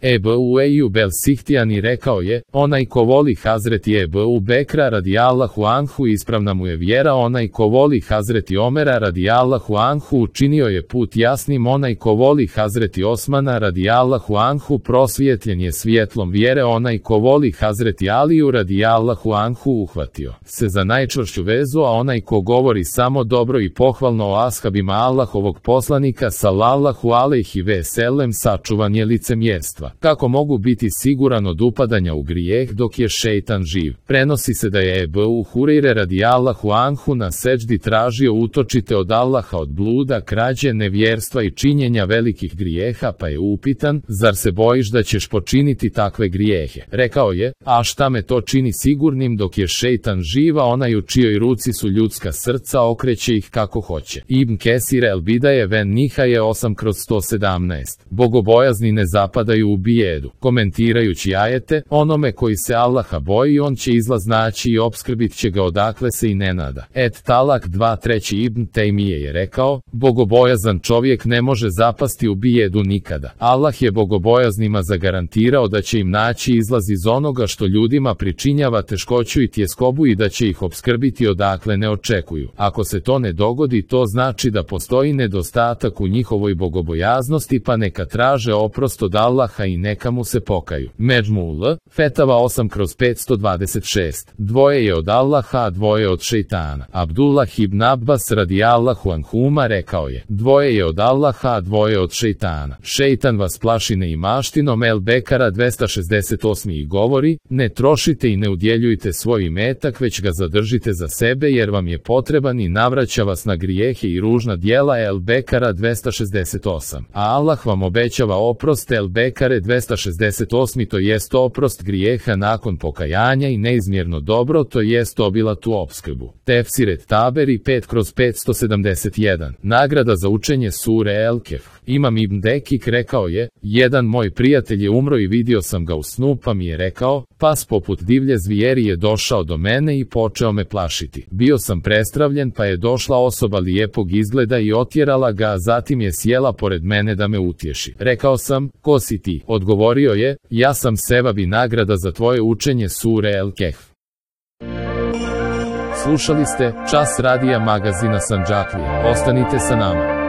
Ebu Ejub el-Sihtijani rekao je, onaj ko voli Hazreti Ebu Bekra radijallahu anhu ispravna mu je vjera, onaj ko voli Hazreti Omera radijallahu anhu učinio je put jasnim, onaj ko voli Hazreti Osmana radijallahu anhu prosvjetljen je svjetlom vjere, onaj ko voli Hazreti Aliju radijallahu anhu uhvatio se za najčvršću vezu, a onaj ko govori samo dobro i pohvalno o ashabima Allahovog poslanika sallallahu alejhi ve sellem sačuvan je licemjerstva. Kako mogu biti siguran od upadanja u grijeh dok je šejtan živ? Prenosi se da je Ebu Hurajre radijallahu anhu na seđdi tražio utočite od Allaha od bluda, krađe, nevjerstva i činjenja velikih grijeha, pa je upitan, zar se bojiš da ćeš počiniti takve grijehe? Rekao je, a šta me to čini sigurnim dok je šejtan živ, a onaj u čijoj ruci su ljudska srca okreće ih kako hoće. Ibn Kesir el-Bidaje ven Nihaje 8/117. Bogobojazni ne zapadaju u bijedu. Komentirajući ajete, onome koji se Allaha boji on će izlaz naći i opskrbit će ga odakle se i ne nada. Talak 2/3. Ibn Tejmije je rekao, bogobojazan čovjek ne može zapasti u bijedu nikada. Allah je bogobojaznima zagarantirao da će im naći izlaz iz onoga što ljudima pričinjava teškoću i tjeskobu i da će ih opskrbiti odakle ne očekuju. Ako se to ne dogodi, to znači da postoji nedostatak u njihovoj bogobojaznosti, pa neka traže oprost od Allaha i neka mu se pokaju. Međmul, Fetava 8/526. Dvoje je od Allaha, a dvoje od šejtana. Abdullah ibn Abbas radijallahu anhuma rekao je, dvoje je od Allaha, a dvoje od šejtana. Šejtan vas plaši neimaštinom. El Bekara 268. i govori, ne trošite i ne udjeljujte svoj imetak, već ga zadržite za sebe jer vam je potreban i navraća vas na grijehe i ružna djela. El Bekara 268. A Allah vam obećava oprost. El Bekare 268. to jest oprost grijeha nakon pokajanja i neizmjerno dobro, to jest obilatu opskrbu. Tefsiret Taberi 5/571. Nagrada za učenje sure El Kehf. Imam Ibn Dekik rekao je, jedan moj prijatelj je umro i vidio sam ga u snu, pa mi je rekao, pas poput divlje zvijeri je došao do mene i počeo me plašiti. Bio sam prestravljen, pa je došla osoba lijepog izgleda i otjerala ga, a zatim je sjela pored mene da me utješi. Rekao sam, ko si ti? Odgovorio je, ja sam sevab i nagrada za tvoje učenje sure El Kehf. Slušali ste Čas radija magazina Sandžaklija. Ostanite sa nama.